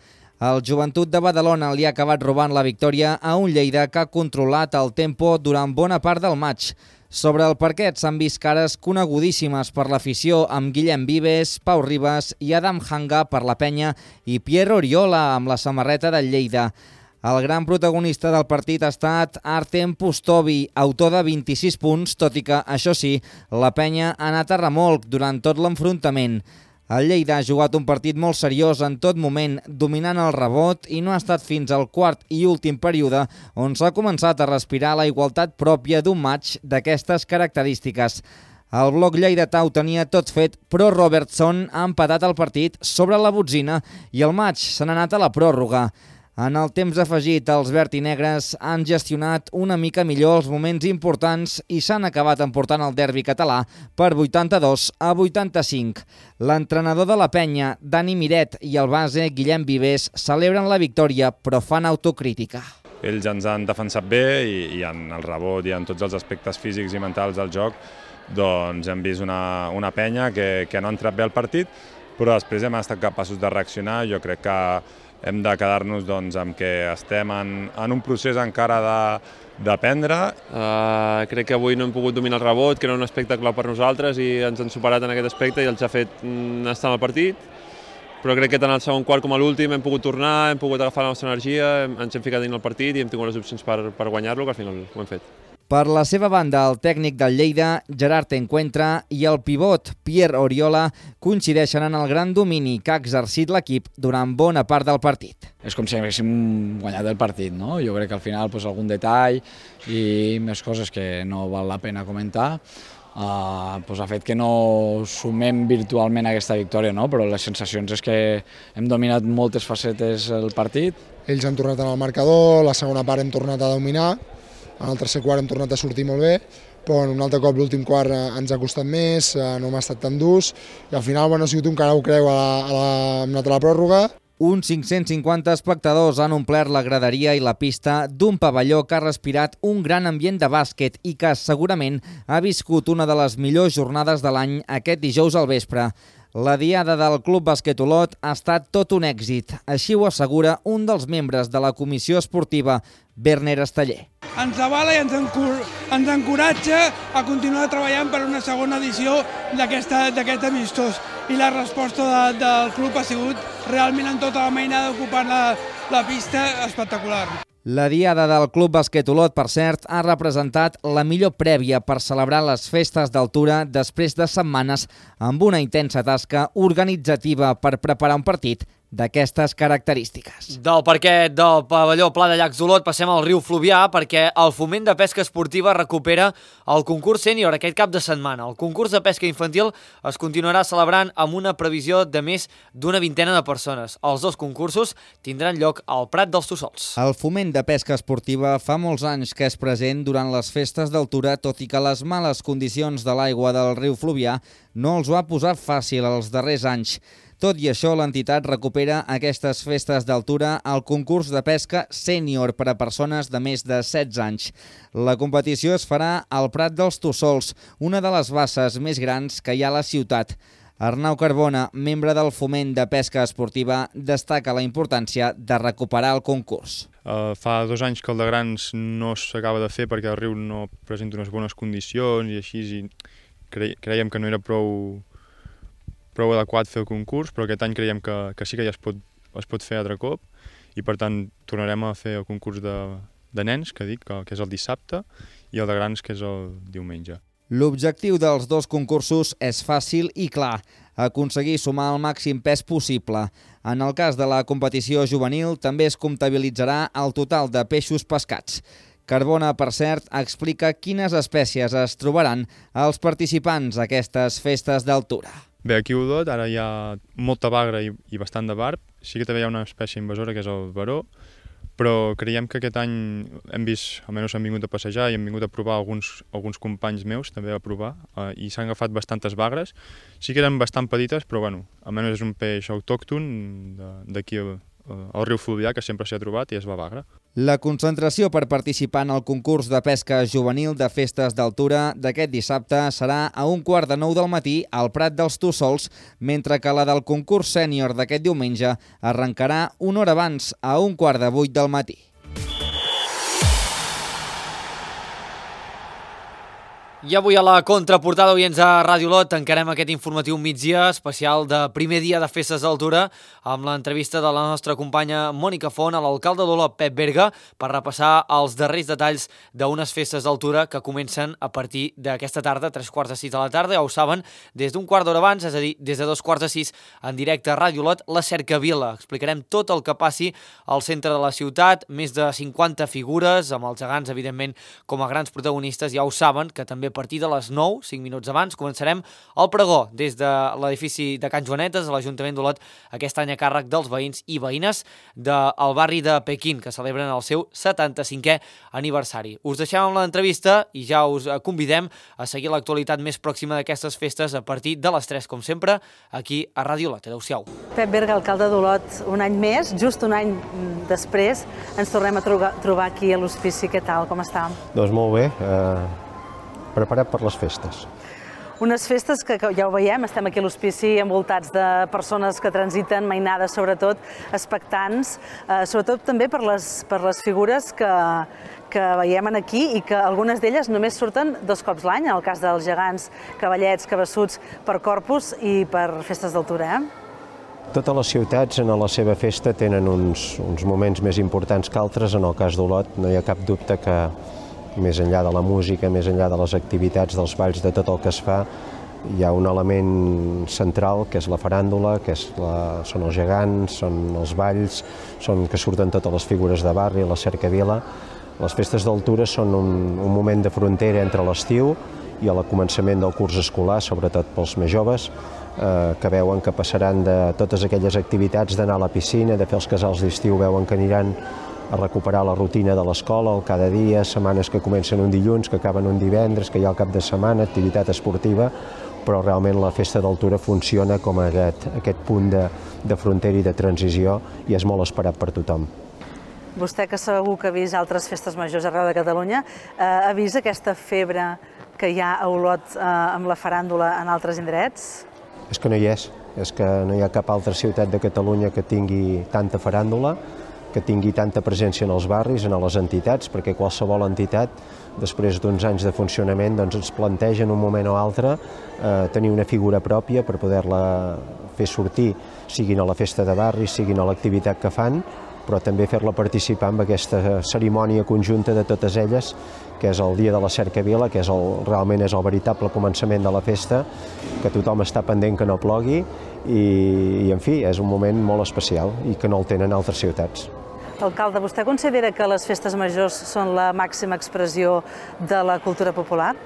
El Joventut de Badalona li ha acabat robant la victòria a un Lleida que ha controlat el tempo durant bona part del maig. Sobre el parquet s'han vist cares conegudíssimes per l'afició amb Guillem Vives, Pau Ribas i Adam Hanga per la penya i Pierre Oriola amb la samarreta del Lleida. El gran protagonista del partit ha estat Artem Pustovi, autor de vint-i-sis punts, tot i que, això sí, la penya ha anat a remolc durant tot l'enfrontament. El Lleida ha jugat un partit molt seriós en tot moment, dominant el rebot i no ha estat fins al quart i últim període on s'ha començat a respirar la igualtat pròpia d'un matx d'aquestes característiques. El bloc lleidatà ho tenia tot fet, però Robertson ha empatat el partit sobre la botzina i el matx se n'ha anat a la pròrroga. En el temps afegit, els verd i negres han gestionat una mica millor els moments importants i s'han acabat emportant el derbi català per vuitanta-dos a vuitanta-cinc. L'entrenador de la penya, Dani Miret, i el base, Guillem Vives, celebren la victòria, però fan autocrítica. Ells ens han defensat bé i, i en el rebot i en tots els aspectes físics i mentals del joc doncs hem vist una, una penya que, que no ha entrat bé al partit, però després hem estat capaços de reaccionar. Jo crec que hem de quedar-nos doncs, amb que estem en, en un procés encara d'aprendre. Uh, crec que avui no hem pogut dominar el rebot, que era un aspecte clau per nosaltres i ens han superat en aquest aspecte i els ha fet mm, estar en el partit. Però crec que tant al segon quart com a l'últim hem pogut tornar, hem pogut agafar la nostra energia, hem, ens hem ficat dins el partit i hem tingut les opcions per, per guanyar-lo, que al final ho hem fet. Per la seva banda, el tècnic del Lleida, Gerard Encuentra, i el pivot, Pierre Oriola, coincideixen en el gran domini que ha exercit l'equip durant bona part del partit. És com si haguéssim guanyat el partit, no? Jo crec que al final pues, algun detall i més coses que no val la pena comentar uh, pues, ha fet que no sumem virtualment aquesta victòria, no? Però les sensacions és que hem dominat moltes facetes el partit. Ells han tornat en el marcador, la segona part hem tornat a dominar, en el tercer quart hem tornat a sortir molt bé, però un altre cop l'últim quart ens ha costat més, no m'ha estat tan durs, i al final bueno, ha sigut un cara ho creu a la, a la, hem anat a la pròrroga. Uns cinc-cents cinquanta espectadors han omplert la graderia i la pista d'un pavelló que ha respirat un gran ambient de bàsquet i que segurament ha viscut una de les millors jornades de l'any aquest dijous al vespre. La diada del Club Bàsquet Olot ha estat tot un èxit, així ho assegura un dels membres de la comissió esportiva, Werner Esteller. Ens avala i ens, encor ens encoratja a continuar treballant per una segona edició d'aquest amistós. I la resposta de, del club ha sigut realment en tota la mainada ocupant la, la pista espectacular. La diada del Club Bàsquet Olot, per cert, ha representat la millor prèvia per celebrar les festes d'altura després de setmanes amb una intensa tasca organitzativa per preparar un partit d'aquestes característiques. Del parquet del pavelló Pla de Llacs d'Olot passem al riu Fluvià perquè el Foment de Pesca Esportiva recupera el concurs sènior aquest cap de setmana. El concurs de pesca infantil es continuarà celebrant amb una previsió de més d'una vintena de persones. Els dos concursos tindran lloc al Prat dels Tossols. El Foment de Pesca Esportiva fa molts anys que és present durant les festes d'altura, tot i que les males condicions de l'aigua del riu Fluvià no els ho ha posat fàcil els darrers anys. Tot i això, l'entitat recupera aquestes festes d'altura al concurs de pesca sènior per a persones de més de setze anys. La competició es farà al Prat dels Tossols, una de les basses més grans que hi ha a la ciutat. Arnau Carbona, membre del Foment de Pesca Esportiva, destaca la importància de recuperar el concurs. Uh, fa dos anys que el de grans no s'acaba de fer perquè el riu no presenta unes bones condicions i així i cre creiem que no era prou... prou adequat fer el concurs, però aquest any creiem que, que sí que ja es pot, es pot fer altre cop i per tant tornarem a fer el concurs de, de nens, que dic, que, que és el dissabte, i el de grans, que és el diumenge. L'objectiu dels dos concursos és fàcil i clar, aconseguir sumar el màxim pes possible. En el cas de la competició juvenil també es comptabilitzarà el total de peixos pescats. Carbona, per cert, explica quines espècies es trobaran els participants a aquestes festes d'altura. Bé, aquí a Olot ara hi ha molta bagra i, i bastant de barb. Sí que també hi ha una espècie invasora que és el baró, però creiem que aquest any hem vist, almenys hem vingut a passejar i hem vingut a provar alguns, alguns companys meus també a provar eh, i s'han agafat bastantes bagres. Sí que eren bastant petites, però bueno, almenys és un peix autòcton d'aquí al riu Fluvià que sempre s'hi ha trobat i és la bagra. La concentració per participar en el concurs de pesca juvenil de festes d'altura d'aquest dissabte serà a un quart de nou del matí al Prat dels Tossols, mentre que la del concurs sènior d'aquest diumenge arrencarà una hora abans, a un quart de vuit del matí. I avui a la contraportada, oients a Ràdio Olot, tancarem aquest informatiu migdia especial de primer dia de festes d'altura amb l'entrevista de la nostra companya Mònica Font a l'alcalde d'Olot, Pep Berga, per repassar els darrers detalls d'unes festes d'altura que comencen a partir d'aquesta tarda, tres quarts de sis de la tarda, ja ho saben, des d'un quart d'hora abans, és a dir, des de dos quarts de sis en directe a Ràdio Olot, la Cercavila. Explicarem tot el que passi al centre de la ciutat, més de cinquanta figures, amb els gegants, evidentment, com a grans protagonistes, ja ho saben, que també a partir de les nou, cinc minuts abans, començarem el pregó des de l'edifici de Can Joanetes, a l'Ajuntament d'Olot, aquest any a càrrec dels veïns i veïnes del barri de Pequín, que celebren el seu setanta-cinquè aniversari. Us deixem amb l'entrevista i ja us convidem a seguir l'actualitat més pròxima d'aquestes festes a partir de les tres, com sempre, aquí a Ràdio Olot. Adéu-siau. Pep Berga, alcalde d'Olot, un any més, just un any després, ens tornem a trobar aquí a l'hospici. Què tal, com està? Doncs molt bé. Eh... preparat per les festes. Unes festes que ja ho veiem, estem aquí a l'hospici envoltats de persones que transiten, mainades sobretot, expectants, eh, sobretot també per les, per les figures que, que veiem aquí i que algunes d'elles només surten dos cops l'any, en el cas dels gegants, cavallets, cabassuts, per Corpus i per festes d'altura. Eh? Totes les ciutats en la seva festa tenen uns, uns moments més importants que altres. En el cas d'Olot no hi ha cap dubte que més enllà de la música, més enllà de les activitats, dels balls, de tot el que es fa, hi ha un element central que és la faràndula, que és la, són els gegants, són els balls, són que surten totes les figures de barri, la cercavila. Les festes d'altura són un, un moment de frontera entre l'estiu i el començament del curs escolar, sobretot pels més joves, eh, que veuen que passaran de totes aquelles activitats d'anar a la piscina, de fer els casals d'estiu, veuen que aniran a recuperar la rutina de l'escola, el cada dia, setmanes que comencen un dilluns, que acaben un divendres, que hi ha el cap de setmana, activitat esportiva, però realment la festa d'altura funciona com aquest, aquest punt de, de frontera i de transició i és molt esperat per tothom. Vostè, que segur que ha vist altres festes majors arreu de Catalunya, eh, ha vist aquesta febre que hi ha a Olot eh, amb la faràndula en altres indrets? És que no hi és, és que no hi ha cap altra ciutat de Catalunya que tingui tanta faràndula, que tingui tanta presència en els barris, en les entitats, perquè qualsevol entitat, després d'uns anys de funcionament, doncs ens planteja en un moment o altre eh, tenir una figura pròpia per poder-la fer sortir, siguin a la festa de barri, siguin a l'activitat que fan, però també fer-la participar en aquesta cerimònia conjunta de totes elles, que és el dia de la cercavila, que és el, realment és el veritable començament de la festa, que tothom està pendent que no plogui i, i en fi, és un moment molt especial i que no el tenen altres ciutats. Alcalde, vostè considera que les festes majors són la màxima expressió de la cultura popular?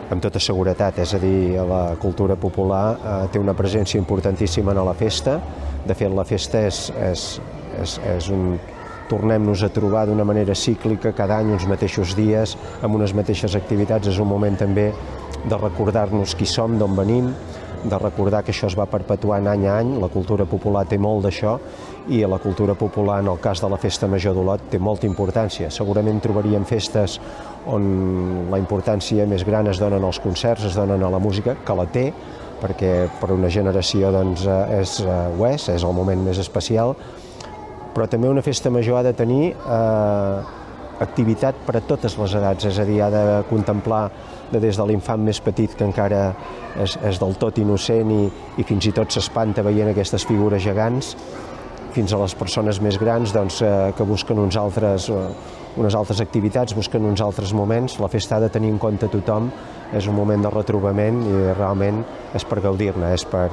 Amb tota seguretat, és a dir, la cultura popular eh, té una presència importantíssima en la festa. De fet, la festa és, és, és, és un... Tornem-nos a trobar d'una manera cíclica, cada any uns mateixos dies, amb unes mateixes activitats. És un moment també de recordar-nos qui som, d'on venim, de recordar que això es va perpetuant any a any. La cultura popular té molt d'això i la cultura popular, en el cas de la Festa Major d'Olot, té molta importància. Segurament trobaríem festes on la importància més gran es donen als concerts, es donen a la música, que la té, perquè per una generació doncs, és, ho és, és el moment més especial, però també una festa major ha de tenir eh, activitat per a totes les edats, és a dir, ha de contemplar de des de l'infant més petit que encara és, és del tot innocent i, i fins i tot s'espanta veient aquestes figures gegants, fins a les persones més grans doncs, eh, que busquen uns altres, eh, unes altres activitats, busquen uns altres moments. La festa ha de tenir en compte tothom, és un moment de retrobament i realment és per gaudir-ne, és per,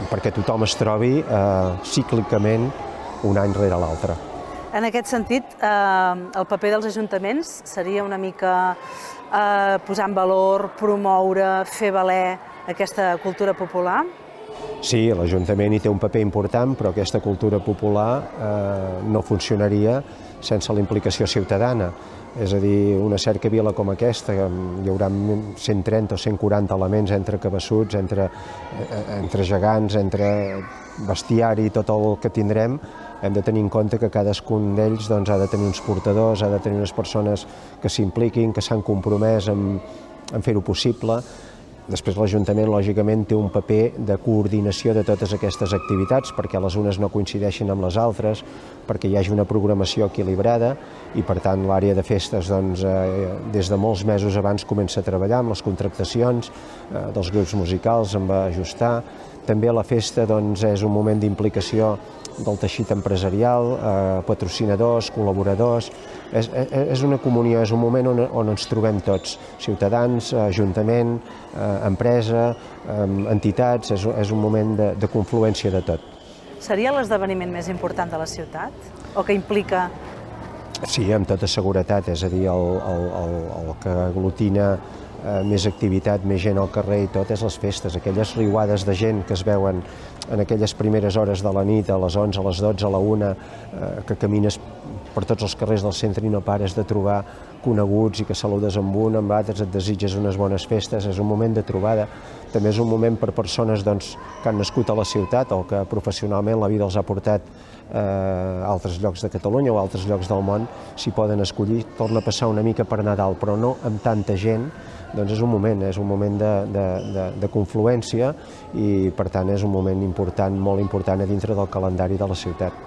perquè tothom es trobi eh, cíclicament un any rere l'altre. En aquest sentit, eh, el paper dels ajuntaments seria una mica eh, posar en valor, promoure, fer valer aquesta cultura popular? Sí, l'Ajuntament hi té un paper important, però aquesta cultura popular eh, no funcionaria sense la implicació ciutadana. És a dir, una cercavila com aquesta, hi haurà cent trenta o cent quaranta elements entre cabassuts, entre, entre gegants, entre bestiari, tot el que tindrem, hem de tenir en compte que cadascun d'ells doncs, ha de tenir uns portadors, ha de tenir unes persones que s'impliquin, que s'han compromès en, en fer-ho possible. Després l'Ajuntament, lògicament, té un paper de coordinació de totes aquestes activitats perquè les unes no coincideixin amb les altres, perquè hi hagi una programació equilibrada i, per tant, l'àrea de festes doncs, eh, des de molts mesos abans comença a treballar amb les contractacions eh, dels grups musicals, en va ajustar. També la festa doncs, és un moment d'implicació del teixit empresarial, eh, patrocinadors, col·laboradors. És, és una comunió, és un moment on, on ens trobem tots, ciutadans, ajuntament, eh, empresa, eh, entitats, és, és un moment de, de confluència de tot. Seria l'esdeveniment més important de la ciutat? O que implica... Sí, amb tota seguretat, és a dir, el, el, el, el que aglutina eh, més activitat, més gent al carrer i tot, és les festes, aquelles riuades de gent que es veuen en aquelles primeres hores de la nit, a les onze, a les dotze, a la una, eh, que camines per tots els carrers del centre i no pares de trobar coneguts i que saludes amb un, amb altres, et desitges unes bones festes, és un moment de trobada. També és un moment per persones doncs, que han nascut a la ciutat o que professionalment la vida els ha portat eh, a altres llocs de Catalunya o a altres llocs del món, s'hi poden escollir. Torna a passar una mica per Nadal, però no amb tanta gent, doncs és un moment, és un moment de, de, de, de confluència i, per tant, és un moment important, molt important a dintre del calendari de la ciutat.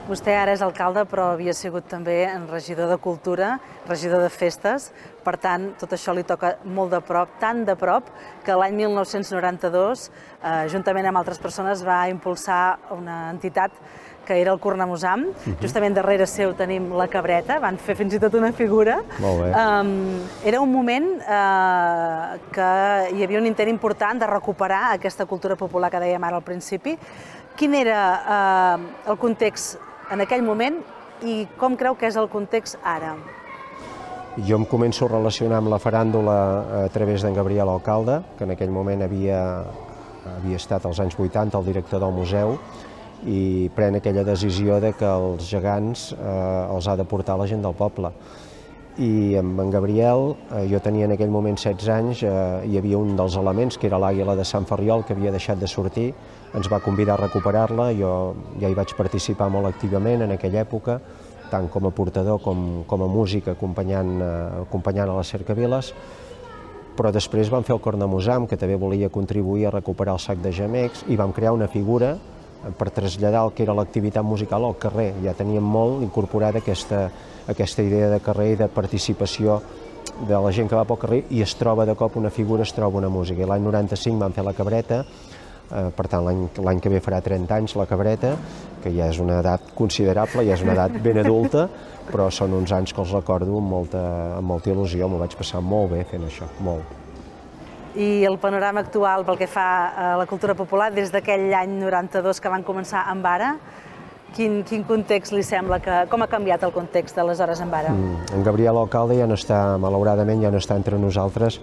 Vostè ara és alcalde, però havia sigut també regidor de Cultura, regidor de Festes, per tant, tot això li toca molt de prop, tan de prop, que l'any mil nou-cents noranta-dos, eh, juntament amb altres persones, va impulsar una entitat que era el Cornamusam. Uh-huh. Justament darrere seu tenim la Cabreta, van fer fins i tot una figura. Molt bé. Um, era un moment uh, que hi havia un intent important de recuperar aquesta cultura popular que dèiem ara al principi. Quin era uh, el context en aquell moment i com creu que és el context ara? Jo em començo a relacionar amb la faràndula a través d'en Gabriel Alcalde, que en aquell moment havia, havia estat als anys vuitanta el director del museu, i pren aquella decisió de que els gegants eh, els ha de portar la gent del poble. I amb en Gabriel, eh, jo tenia en aquell moment setze anys, eh, hi havia un dels elements, que era l'àguila de Sant Ferriol, que havia deixat de sortir, ens va convidar a recuperar-la, jo ja hi vaig participar molt activament en aquella època, tant com a portador com, com a músic, acompanyant, eh, acompanyant a les cercaviles, però després vam fer el Cornamusam, que també volia contribuir a recuperar el sac de gemecs, i vam crear una figura per traslladar el que era l'activitat musical al carrer. Ja teníem molt incorporada aquesta, aquesta idea de carrer i de participació de la gent que va pel carrer, i es troba de cop una figura, es troba una música. I l'any noranta-cinc vam fer la Cabreta, eh, per tant l'any que ve farà trenta anys la Cabreta, que ja és una edat considerable, ja és una edat ben adulta, però són uns anys que els recordo amb molta, amb molta il·lusió, m'ho vaig passar molt bé fent això, molt. I el panorama actual pel que fa a la cultura popular, des d'aquell any noranta-dos que van començar amb ara, quin, quin context li sembla que... Com ha canviat el context d'aleshores amb ara? Mm, en Gabriel Alcalde ja no està, malauradament, ja no està entre nosaltres,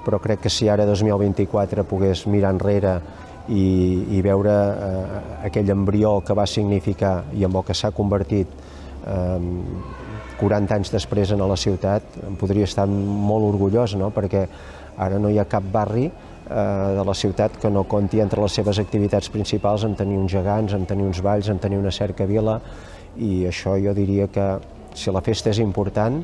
però crec que si ara, dos mil vint-i-quatre, pogués mirar enrere i, i veure eh, aquell embrió que va significar i en el que s'ha convertit eh, quaranta anys després en la ciutat, em podria estar molt orgullós, no?, perquè ara no hi ha cap barri eh, de la ciutat que no conti entre les seves activitats principals en tenir uns gegants, en tenir uns balls, en tenir una cercavila, i això jo diria que si la festa és important,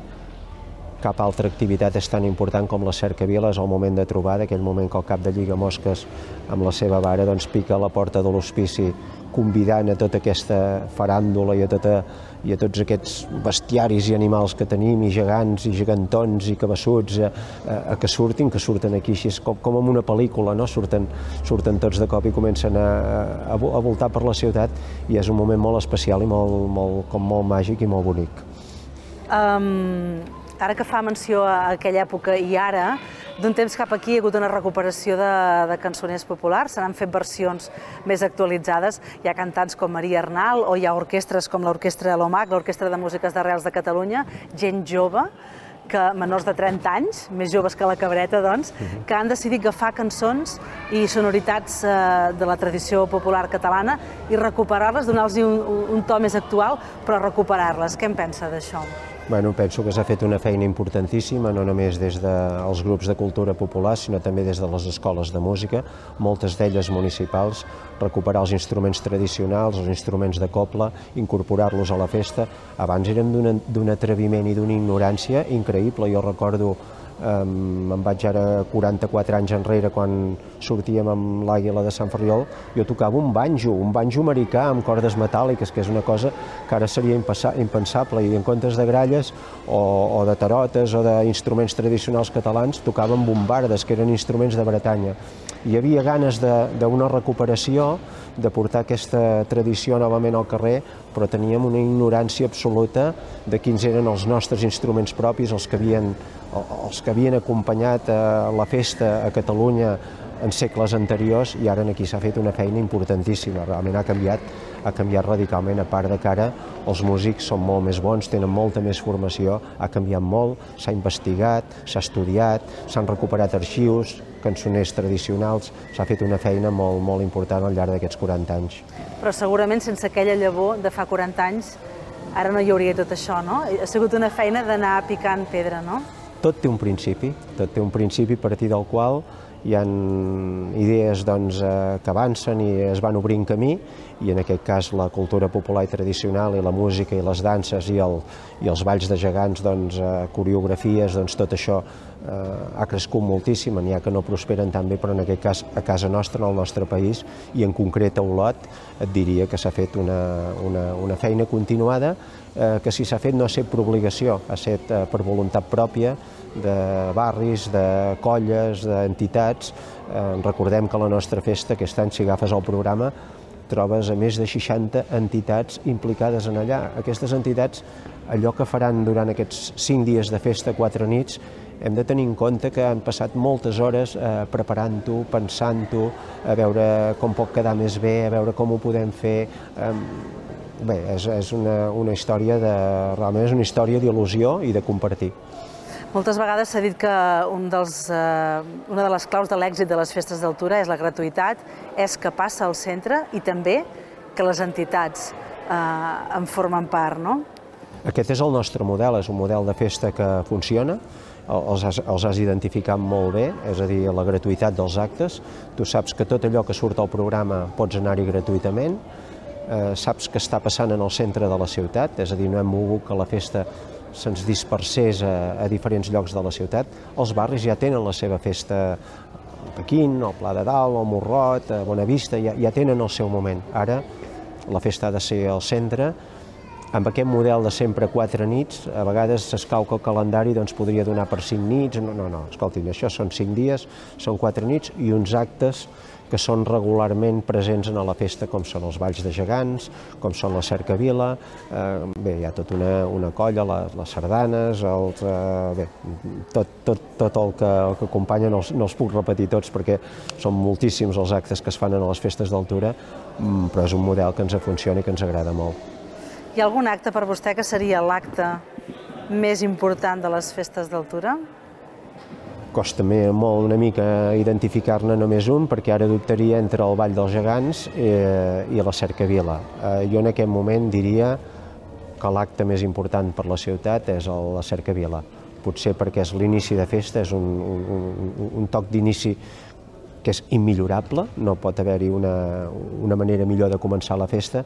cap altra activitat és tan important com la cercavila, és el moment de trobada, aquell moment que el cap de Lligamosques amb la seva vara doncs, pica a la porta de l'hospici, convidant a tota aquesta faràndula i a, tota, i a tots aquests bestiaris i animals que tenim, i gegants, i gegantons, i cabassuts, a, a, a que surtin, que surten aquí així, com, com en una pel·lícula, no? surten, surten tots de cop i comencen a, a, a voltar per la ciutat, i és un moment molt especial i molt, molt, com molt màgic i molt bonic. Um, ara que fa menció a aquella època i ara, d'un temps cap aquí hi ha hagut una recuperació de, de cançoners populars, se n'han fet versions més actualitzades, hi ha cantants com Maria Arnal, o hi ha orquestres com l'Orquestra Lomac, l'Orquestra de Músiques d'Arrels de Catalunya, gent jove, que menors de trenta anys, més joves que la Cabreta, doncs, que han decidit agafar cançons i sonoritats eh, de la tradició popular catalana i recuperar-les, donar-los un, un to més actual, però recuperar-les. Què en pensa d'això? Bueno, penso que s'ha fet una feina importantíssima, no només des dels grups de cultura popular, sinó també des de les escoles de música, moltes d'elles municipals, recuperar els instruments tradicionals, els instruments de cobla, incorporar-los a la festa. Abans eren d'un atreviment i d'una ignorància increïble. Jo recordo, Um, em vaig ara quaranta-quatre anys enrere, quan sortíem amb l'Àguila de Sant Ferriol, jo tocava un banjo, un banjo americà amb cordes metàl·liques, que és una cosa que ara seria impensable, i en comptes de gralles o, o de tarotes o d'instruments tradicionals catalans, tocaven bombardes, que eren instruments de Bretanya. Hi havia ganes d'una recuperació, de portar aquesta tradició novament al carrer, però teníem una ignorància absoluta de quins eren els nostres instruments propis, els que havien, els que havien acompanyat a la festa a Catalunya en segles anteriors, i ara aquí s'ha fet una feina importantíssima. Realment ha canviat, ha canviat radicalment, a part de que ara els músics són molt més bons, tenen molta més formació, ha canviat molt, s'ha investigat, s'ha estudiat, s'han recuperat arxius, cançoners tradicionals, s'ha fet una feina molt, molt important al llarg d'aquests quaranta anys. Però segurament sense aquella llavor de fa quaranta anys ara no hi hauria tot això, no? Ha sigut una feina d'anar picant pedra, no? Tot té un principi, tot té un principi a partir del qual hi ha idees doncs, que avancen i es van obrint camí, i en aquest cas la cultura popular i tradicional i la música i les danses i, el, i els balls de gegants, doncs, coreografies, doncs, tot això eh, ha crescut moltíssim, n'hi ha que no prosperen tan bé, però en aquest cas a casa nostra, en el nostre país, i en concret a Olot, et diria que s'ha fet una, una, una feina continuada, eh, que si s'ha fet no ha estat per obligació, ha estat eh, per voluntat pròpia, de barris, de colles, d'entitats. Eh, recordem que la nostra festa, aquest any, si agafes el programa, trobes a més de seixanta entitats implicades en allà. Aquestes entitats, allò que faran durant aquests cinc dies de festa, quatre nits, hem de tenir en compte que han passat moltes hores eh, preparant-ho, pensant-ho, a veure com pot quedar més bé, a veure com ho podem fer. Eh, bé, és, és una, una història de, realment és una història d'il·lusió i de compartir. Moltes vegades s'ha dit que un dels, eh, una de les claus de l'èxit de les festes d'altura és la gratuïtat, és que passa al centre i també que les entitats eh, en formen part, no? Aquest és el nostre model, és un model de festa que funciona, els has, els has identificat molt bé, és a dir, la gratuïtat dels actes. Tu saps que tot allò que surt al programa pots anar-hi gratuïtament, eh, saps que està passant en el centre de la ciutat, és a dir, no hem volgut que la festa se'ns dispersés a, a diferents llocs de la ciutat. Els barris ja tenen la seva festa, a Pequín, al Pla de Dalt, al Morrot, a Bonavista, ja, ja tenen el seu moment. Ara la festa ha de ser al centre. Amb aquest model de sempre quatre nits, a vegades s'escau que el calendari doncs, podria donar per cinc nits. No, no, no, escoltin, això són cinc dies, són quatre nits i uns actes que són regularment presents a la festa, com són els balls de gegants, com són la cercavila, eh, bé, hi ha tota una, una colla, la, les sardanes, els, eh, bé, tot, tot, tot el que, el que acompanya, no els, no els puc repetir tots perquè són moltíssims els actes que es fan a les festes d'altura, però és un model que ens funciona i que ens agrada molt. Hi ha algun acte per vostè que seria l'acte més important de les festes d'altura? Costa molt una mica identificar-ne només un, perquè ara dubtaria entre el Ball dels Gegants eh, i la cercavila. Eh, jo en aquest moment diria que l'acte més important per la ciutat és el, la cercavila. Potser perquè és l'inici de festa, és un, un, un toc d'inici que és immillorable, no pot haver-hi una, una manera millor de començar la festa,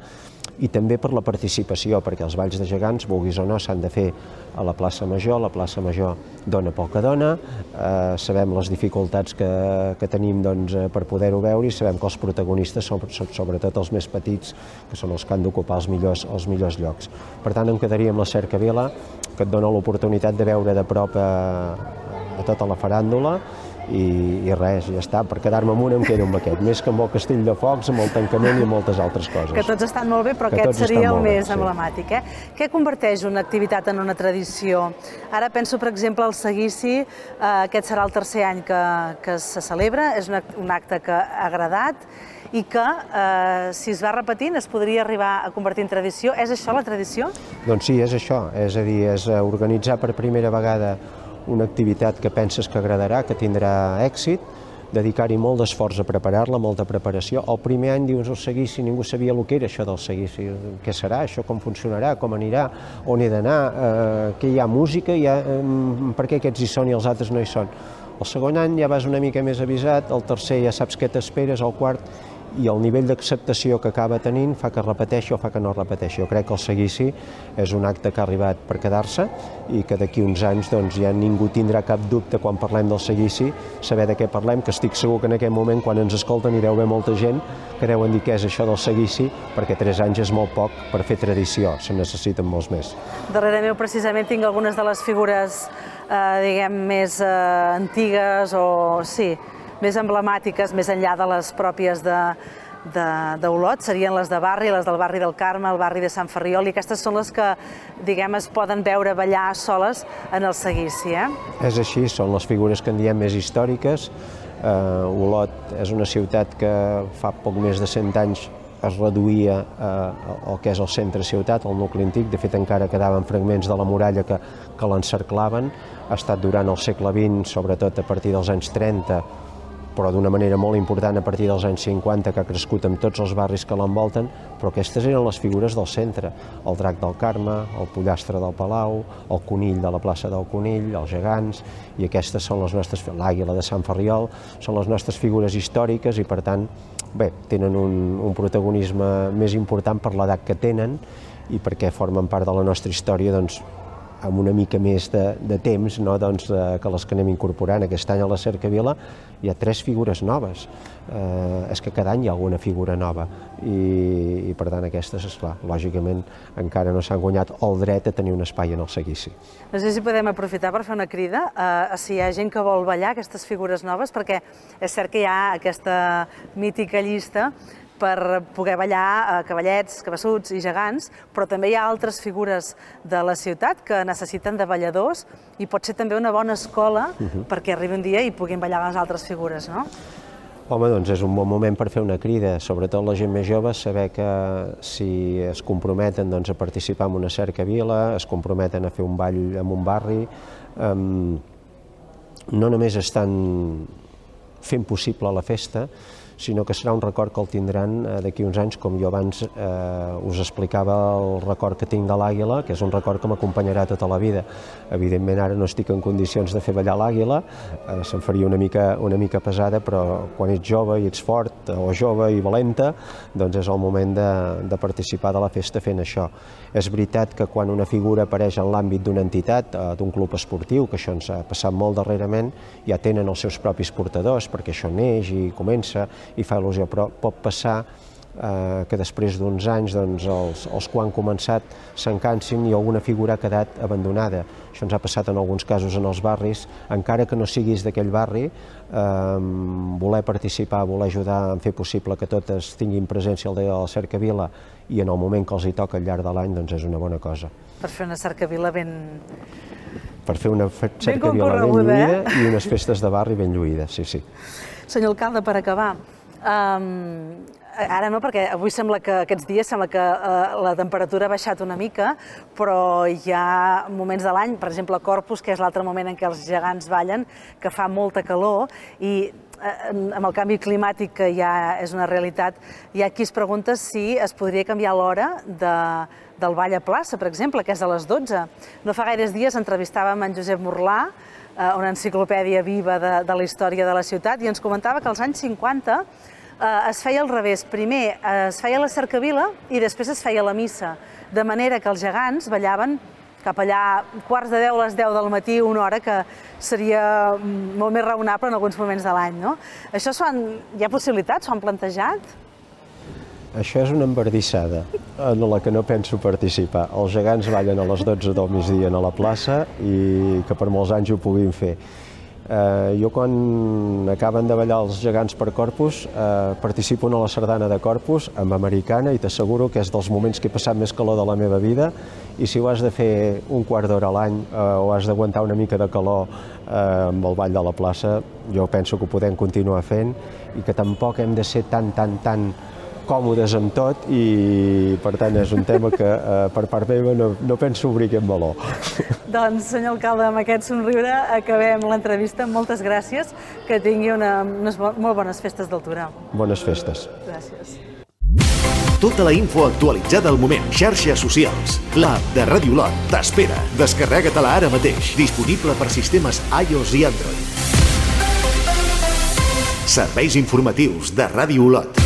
i també per la participació, perquè els balls de gegants, vulguis o no, s'han de fer a la plaça Major, la plaça Major dona pel que dona, eh, sabem les dificultats que, que tenim doncs, per poder-ho veure i sabem que els protagonistes són, són sobretot els més petits, que són els que han d'ocupar els, millors, els millors llocs. Per tant, em quedaria amb la cercavila, que et dona l'oportunitat de veure de prop a, a tota la faràndula, I, i res, ja està, per quedar-me amb un em quedo amb aquest, més que amb el castell de focs, amb el tancament i moltes altres coses. Que tots estan molt bé, però que aquest seria el més bé, emblemàtic. Eh? Què converteix una activitat en una tradició? Ara penso, per exemple, al seguici, eh, aquest serà el tercer any que, que se celebra, és un, un acte que ha agradat i que, eh, si es va repetint, es podria arribar a convertir en tradició. És això la tradició? Doncs sí, és això, és a dir, és organitzar per primera vegada una activitat que penses que agradarà, que tindrà èxit, dedicar-hi molt d'esforç a preparar-la, molta preparació. El primer any dius el seguici, ningú sabia el que era això del seguici. Què serà això, com funcionarà, com anirà, on he d'anar, eh, que hi ha música, hi ha, eh, per què aquests hi són i els altres no hi són. El segon any ja vas una mica més avisat, el tercer ja saps què t'esperes, el quart, i el nivell d'acceptació que acaba tenint fa que repeteixi o fa que no repeteixi. Jo crec que el seguici és un acte que ha arribat per quedar-se i que d'aquí uns anys doncs, ja ningú tindrà cap dubte quan parlem del seguici, saber de què parlem, que estic segur que en aquest moment quan ens escolten hi deu haver molta gent que deuen dir què és això del seguici, perquè tres anys és molt poc per fer tradició, se'n necessiten molts més. Darrere meu precisament tinc algunes de les figures eh, diguem, més eh, antigues o sí, més emblemàtiques, més enllà de les pròpies d'Olot, serien les de barri, les del barri del Carme, el barri de Sant Ferriol, i aquestes són les que, diguem, es poden veure ballar soles en el seguici. Eh? És així, són les figures que en diem més històriques. Eh, Olot és una ciutat que fa poc més de cent anys es reduïa eh, el que és el centre ciutat, el nucli antic, de fet encara quedaven fragments de la muralla que, que l'encerclaven. Ha estat durant el segle vint, sobretot a partir dels anys trenta, però d'una manera molt important a partir dels anys cinquanta, que ha crescut amb tots els barris que l'envolten, però aquestes eren les figures del centre, el drac del Carme, el pollastre del Palau, el conill de la plaça del Conill, els gegants, i aquestes són les nostres, l'àguila de Sant Ferriol, són les nostres figures històriques i per tant, bé, tenen un, un protagonisme més important per l'edat que tenen i perquè formen part de la nostra història, doncs, amb una mica més de, de temps, no? Doncs, eh, que les que anem incorporant. Aquest any a la Cercavila hi ha tres figures noves. Eh, és que cada any hi ha alguna figura nova i, i per tant aquestes, esclar, lògicament encara no s'han guanyat el dret a tenir un espai en el seguici. No sé si podem aprofitar per fer una crida a, a si hi ha gent que vol ballar aquestes figures noves, perquè és cert que hi ha aquesta mítica llista per poder ballar cavallets, cabassuts i gegants, però també hi ha altres figures de la ciutat que necessiten de balladors i pot ser també una bona escola uh-huh. perquè arribi un dia i puguin ballar les altres figures, no? Home, doncs és un bon moment per fer una crida, sobretot la gent més jove, saber que si es comprometen doncs, a participar en una cercavila, es comprometen a fer un ball en un barri, eh, no només estan fent possible la festa, sinó que serà un record que el tindran d'aquí uns anys, com jo abans eh, us explicava el record que tinc de l'àguila, que és un record que m'acompanyarà tota la vida. Evidentment ara no estic en condicions de fer ballar l'àguila, eh, se'm faria una mica, una mica pesada, però quan ets jove i ets fort, o jove i valenta, doncs és el moment de, de participar de la festa fent això. És veritat que quan una figura apareix en l'àmbit d'una entitat, eh, d'un club esportiu, que això ens ha passat molt darrerament, ja tenen els seus propis portadors, perquè això neix i comença, i fa il·lusió, però pot passar eh, que després d'uns anys doncs, els, els que han començat s'encansin i alguna figura ha quedat abandonada. Això ens ha passat en alguns casos en els barris, encara que no siguis d'aquell barri, eh, voler participar, voler ajudar a fer possible que totes tinguin presència al dia de la Cercavila i en el moment que els hi toca al llarg de l'any doncs és una bona cosa. Per fer una cercavila ben... Per fer una cercavila ben lluïda eh? I unes festes de barri ben lluïdes, sí, sí. Senyor alcalde, per acabar, Um, ara no, perquè avui sembla que aquests dies sembla que uh, la temperatura ha baixat una mica, però hi ha moments de l'any, per exemple a Corpus, que és l'altre moment en què els gegants ballen, que fa molta calor i uh, amb el canvi climàtic que ja és una realitat, hi ha qui es pregunta si es podria canviar l'hora de, del ball a plaça, per exemple, que és a les dotze. No fa gaires dies entrevistàvem en Josep Morlà, una enciclopèdia viva de, de la història de la ciutat, i ens comentava que als anys cinquanta eh, es feia al revés. Primer es feia la cercavila i després es feia la missa, de manera que els gegants ballaven cap allà quarts de deu a les deu del matí, una hora que seria molt més raonable en alguns moments de l'any, no? Això són, hi ha possibilitats? S'ho han plantejat? Això és una embardissada en la que no penso participar. Els gegants ballen a les dotze del migdia a la plaça i que per molts anys ho puguin fer. Eh, jo quan acaben de ballar els gegants per Corpus eh, participo en la sardana de Corpus amb americana i t'asseguro que és dels moments que he passat més calor de la meva vida i si ho has de fer un quart d'hora a l'any eh, o has d'aguantar una mica de calor eh, amb el ball de la plaça, jo penso que ho podem continuar fent i que tampoc hem de ser tan, tan, tan còmodes amb tot i per tant és un tema que eh, per part meva no, no penso obrir aquest meló. Doncs senyor alcalde, amb aquest somriure acabem l'entrevista. Moltes gràcies, que tingui una, unes molt bones festes d'altura. Bones festes. Gràcies. Tota la info actualitzada al moment. Xarxes socials. L'app de Ràdio Olot t'espera. Descarrega-te-la ara mateix. Disponible per sistemes iOS i Android. Serveis informatius de Ràdio Olot.